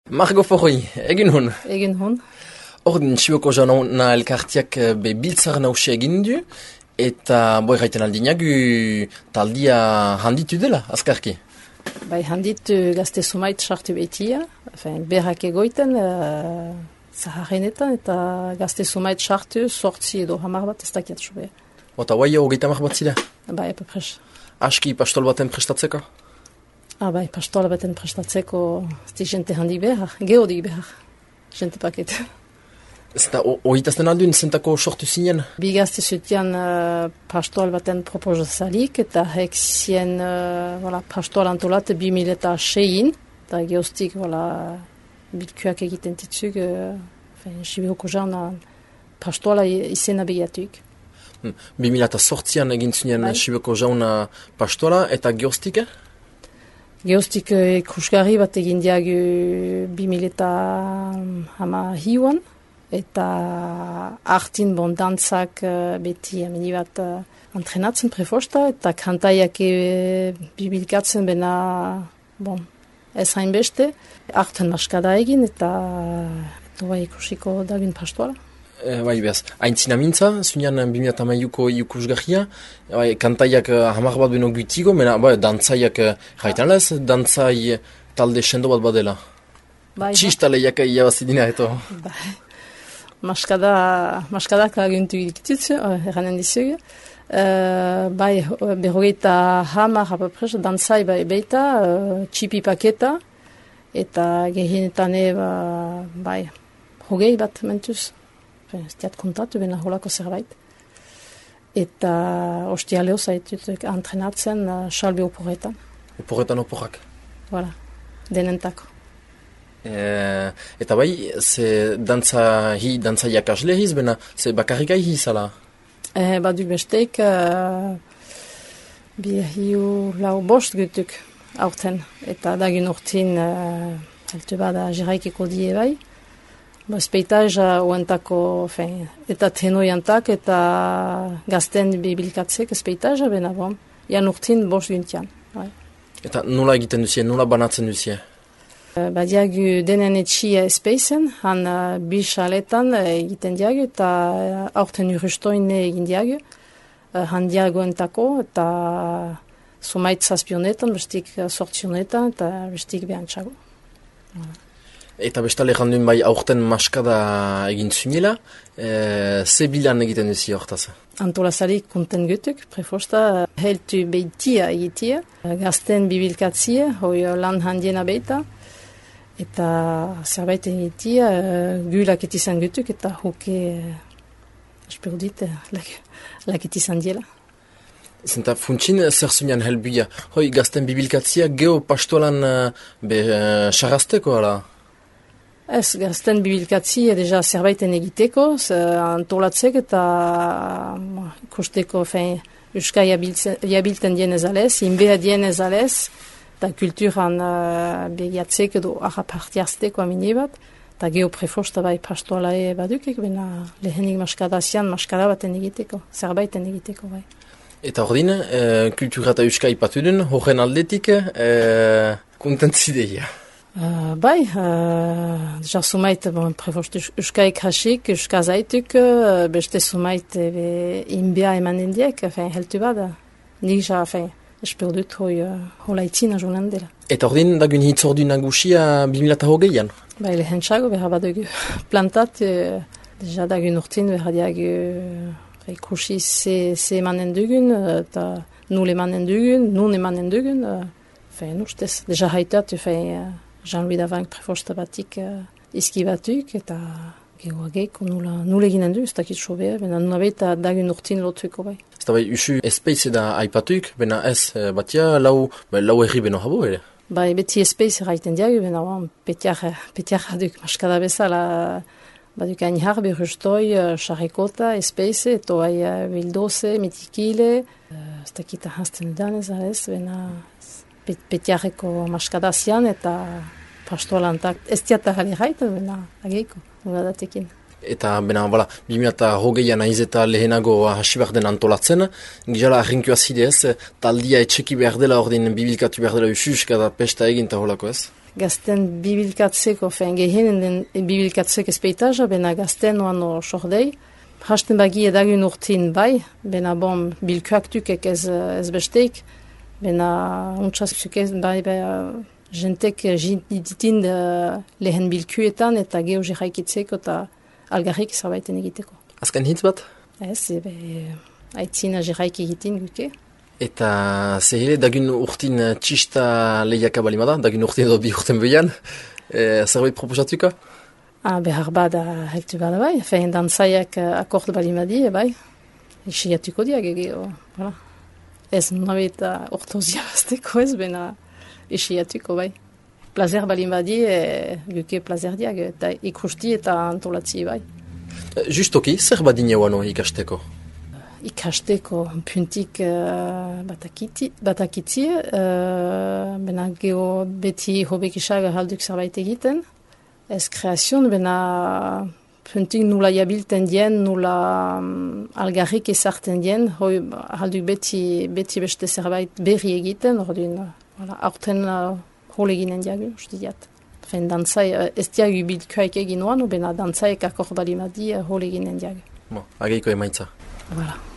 Margo Forri, egin hon. Egin hon. Ordin, Siboko jauna elkartiak be biltzar nausia egin du, eta boi gaiten aldinagu taldia handitu dela, azkarki. Bai handitu gazte sumait sartu behitia, berrak egoiten, zaharrenetan, eta gazte sumait sartu sortzi edo hamar bat ez dakiat zube. Eta guai hogeita hamar bat zira? Bai, epepres. Aski pastol baten prestatzeko? Bai, pastol baten prestatzeko zi jente handi behar, geodik behar, jente paket. Eta hoitazten aldun zentako sortu zinen? Bi gazte zutian pastol baten proposazalik, eta hek zien pastol antolat 2006-in, eta geostik bilkuak egiten titzuk, Siboko jauna pastola izena begiatuk. 2008an egin zinen Siboko jauna pastola, eta geostik? Geostik ikusgarri bat egin diagu 2008an, eta artin dantzak beti amini bat antrenatzen prefosta, eta kantaiak bibilkatzen bena, ez hainbeste, arten maskada egin, eta ikusiko dagun pastoala. Bai, behaz, haintzina mintza, zunean 2008ko ikusgarria, kantaiak hamar bat beno gutigo, mena, dantzaiak jaitan lez, dantzai talde sendo bat badela. Txistaleiak iabazidina, eto. Bai. Maskadak laguntu egitutzu, eranen dizugu. Berrogeita hamar apapres, dantzai beita, txipi paketa, eta gehienetane, hogei bat mentuz. Ez diat kontatu, bena holako zerbait. Eta ostialeo zaitut antrenatzen salbe oporretan. Oporretan oporrak? Voilà, denentako. Eta bai, ze dantzaiak aslehiz, bena ze bakarrik aihi zala? Baduk besteik, hiu lau bost gutuk aurten. Eta dagin urtin, altu bada jiraikiko die bai. Speitaja oentako, eta tenoiantak eta gazten bibilkatzek speitaja bena bon. Jan urtin bost guntian. Eta nola egiten duzie, nola banatzen duzie? Diagu denen etxia espeizen, han bisaletan egiten diagu, eta aurten urrustoin egin diagu, han diagoentako, eta sumait zazpionetan, bestik sortzionetan, eta bestik behantxago. Eta bestale jandun bai aurten maskada egin zunela, ze bilan egiten duzi hortaz? Antolazarik konten gutuk, prefosta, heltu behitia egitia, gazten bibilkatzia, hoi lan handiena beita, eta zerbait egitia, gulak etizan gutuk, eta hoke, espero dit, laketizan diela. Zenta funtsin zer zunean helbuia, hoi gazten bibilkatzia geo pastolan sarrazteko, ala? Ez, gazten bibilkatzi deja zerbaiten egiteko, antolatzek eta ikusteko euska jabilten dienez alez, inbea dienez alez, eta kulturan begiatzek edo harrapartiazteko amine bat, eta geoprefosta bai pastoala badukek, bena lehenik maskadazian maskada baten egiteko, zerbaiten egiteko bai. Eta ordin, kultura eta euska ipatu duen, horren aldetik, kontentzideia. Bai, deja sumait prefost euskaik hasik, euska zaituk, beste sumait inbea emanen diek, heltu bada. Nik ja, espero dut hola itzina joanen dela. Eta ordin, dagun hitzordu nagusia 2008an? Bai, lehen txago, behar badugu plantat, deja dagun urtin, behar diagu ikusi ze emanen dugun, eta nul emanen dugun, nun emanen dugun, ustez, deja haitat, Jean-Louis Davank prefosta batik izki batuk, eta gehoageko nula eginen du, ez dakit sobea, bena nuna behita dagun urtin lotuko bai. Ez da bai, usu espeize da aipatuk, bena ez batia lau erri beno habo ere? Bai, beti espeize raiten diagu, bena petiar duk maskada bezala, baduk ainhar berrustoi, charrekota, espeize, eto bai bildoze, metikile, ez dakit ahazten danez, bena petiarreko maskadazian eta pastoalantak ez diata jali gaita, bena ageiko, noladatekin. Eta bena, 2008an aiz eta lehenago hasi behar den antolatzen, gizala arrinkua zidez, taldia etxeki behar dela ordin bibilkatu behar dela ususka da pesta egin eta holako ez? gazten bibilkatzeko, gehienen den bibilkatzek ezpeitaja, bena gazten oano sordei. Hasten bagi edagun urtin bai, bena bon bilkuaktukek ez besteik, bena untxazuk ez bai jentek ditin lehen bilkuetan eta geho jiraikitzeko eta algarrik zerbaiten egiteko. Azken hitz bat? Ez, aitzina jiraik egiten guke. Eta zehile, dagun urtin txista lehiaka balimada, dagun urtin edo bi urten behian, zerbait proposatuka? Behar bada hektu bada bai, dantzaiak akord balimadi, bai, isiatuko diak egeo, voilà. Ez nabet ortozia bazteko ez, bena isiatuko bai. Plazer balimadi, guke plazer diak, eta ikusti eta antolatzi bai. Justoki, zer badine wano ikasteko? Ikasteko puntik batakitzi, bena geho beti hobekisaga halduk zerbait egiten. Ez kreazion, bena puntik nula jabilten dien, nula algarrik ezarten dien, halduk beti beste zerbait berri egiten, aurten hol eginen diagu, uste diat. Dantzai, ez diagu bilkuaik egin oan, bena dantzaiek akor balimadi hol eginen diagu. Ageiko emaitza. Voilà.